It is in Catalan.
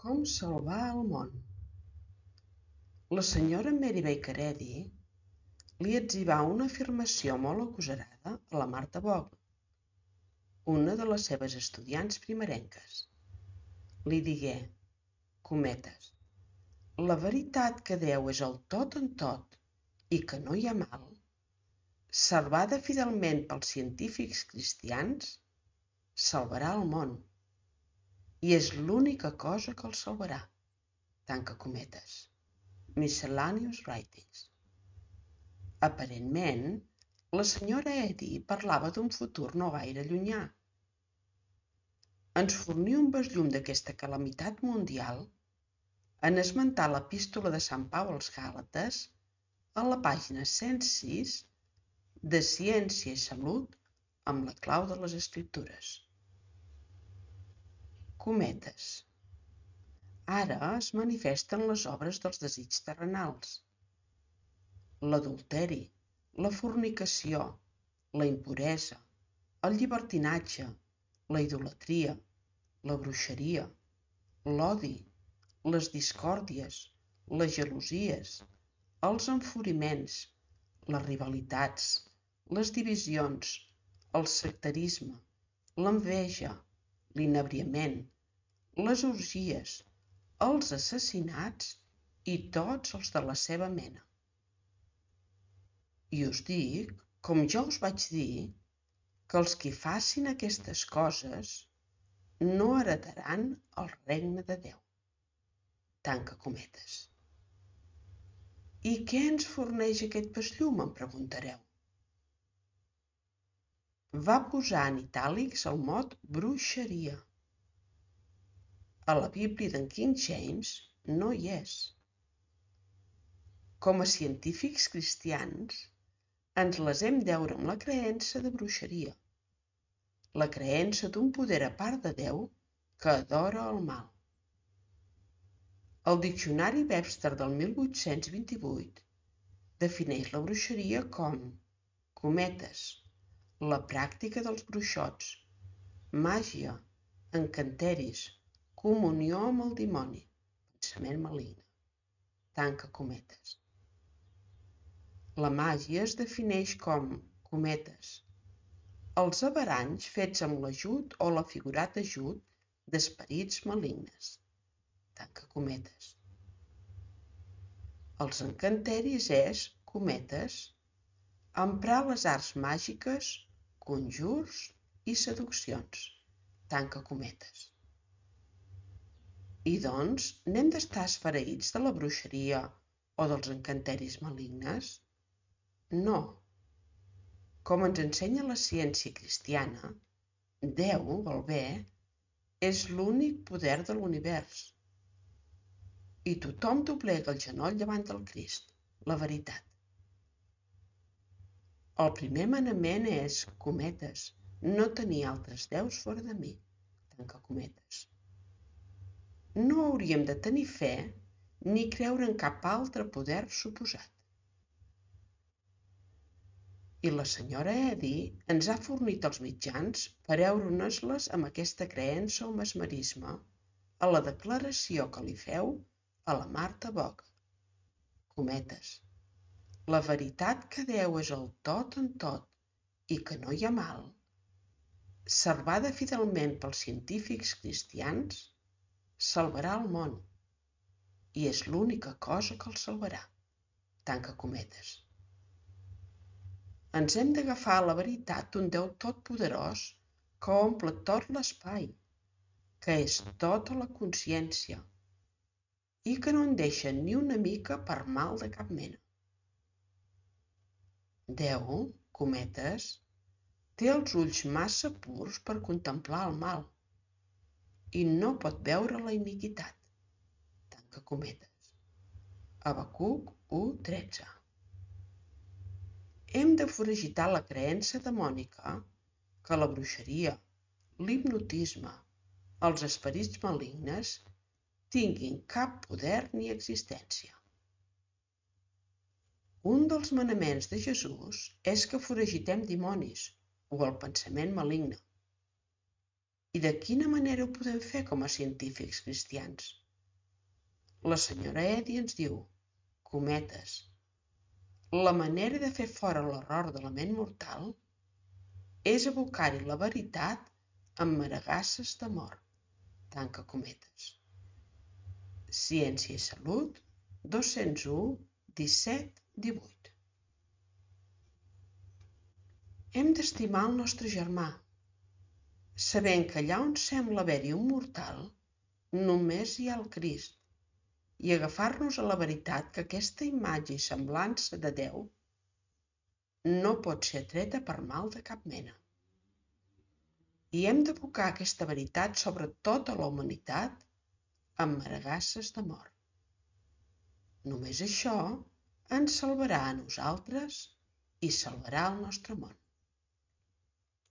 Com salvar el món. La senyora Mary Baker Eddy li etzibà una afirmació molt agosarada a la Martha Bogle, una de les seves estudiants primerenques. Li digué, cometes, la veritat que Déu és el tot en tot i que no hi ha mal, salvada fidelment pels científics cristians, salvarà el món. I és l'única cosa que el salvarà. Tanca cometes. Miscellaneous Writings. Aparentment, la senyora Eddy parlava d'un futur no gaire llunyà. Ens forní un besllum d'aquesta calamitat mundial en esmentar l'epístola de Sant Pau als Gàlates a la pàgina 106 de Ciència i Salut amb la clau de les Escriptures. Cometes. Ara es manifesten les obres dels desigs terrenals. L'adulteri, la fornicació, la impuresa, el llibertinatge, la idolatria, la bruixeria, l'odi, les discòrdies, les gelosies, els enfuriments, les rivalitats, les divisions, el sectarisme, l'enveja, l'inebriament, les orgies, els assassinats i tots els de la seva mena. I us dic, com jo us vaig dir, que els qui facin aquestes coses no heretaran el regne de Déu. Tanca cometes. I què ens forneix aquest besllum, em preguntareu? Va posar en itàlics el mot bruixeria. A la Bíblia d'en King James no hi és. Com a científics cristians, ens les hem deure amb la creença de bruixeria, la creença d'un poder a part de Déu que adora el mal. El diccionari Webster del 1828 defineix la bruixeria com, cometes, la pràctica dels bruixots, màgia, encanteris, comunió amb el dimoni, pensament maligne, tanca cometes. La màgia es defineix com, cometes, els averanys fets amb l'ajut o la figurat ajut d'esperits malignes, tanca cometes. Els encanteris és, cometes, emprar les arts màgiques, conjurs i seduccions, tanca cometes. I doncs, n'hem d'estar esfereïts de la bruixeria o dels encanteris malignes? No. Com ens ensenya la ciència cristiana, Déu, el bé, és l'únic poder de l'univers. I tothom doblega el genoll davant del Crist, la veritat. El primer manament és, cometes, no tenir altres déus fora de mi, tanca cometes. No hauríem de tenir fe ni creure en cap altre poder suposat. I la senyora Eddy ens ha fornit els mitjans per heure-nos-les amb aquesta creença o mesmerisme a la declaració que li feu a la Martha Bogle. Cometes. La veritat que Déu és el tot en tot i que no hi ha mal, salvada fidelment pels científics cristians, salvarà el món. I és l'única cosa que el salvarà. Tanca cometes. Ens hem d'agafar a la veritat d'un Déu totpoderós que omple tot l'espai, que és tota la consciència i que no en deixa ni una mica per mal de cap mena. Déu, cometes, té els ulls massa purs per contemplar el mal i no pot veure la iniquitat. Tanca cometes. Habacuc 1:13. Hem de foragitar la creença demònica que la bruixeria, l'hipnotisme, els esperits malignes tinguin cap poder ni existència. Un dels manaments de Jesús és que foragitem dimonis o el pensament maligne. I de quina manera ho podem fer com a científics cristians? La senyora Eddy ens diu, cometes, la manera de fer fora l'error de la ment mortal és abocar-hi la veritat amb maregasses d'amor, tanca cometes. Ciència i Salut, 201 17 18. Hem d'estimar el nostre germà, sabent que allà on sembla haver-hi un mortal, només hi ha el Crist, i agafar-nos a la veritat que aquesta imatge i semblança de Déu no pot ser atreta per mal de cap mena. I hem d'abocar aquesta veritat sobre tota la humanitat amb maregasses d'amor. Només això ens salvarà a nosaltres i salvarà el nostre món.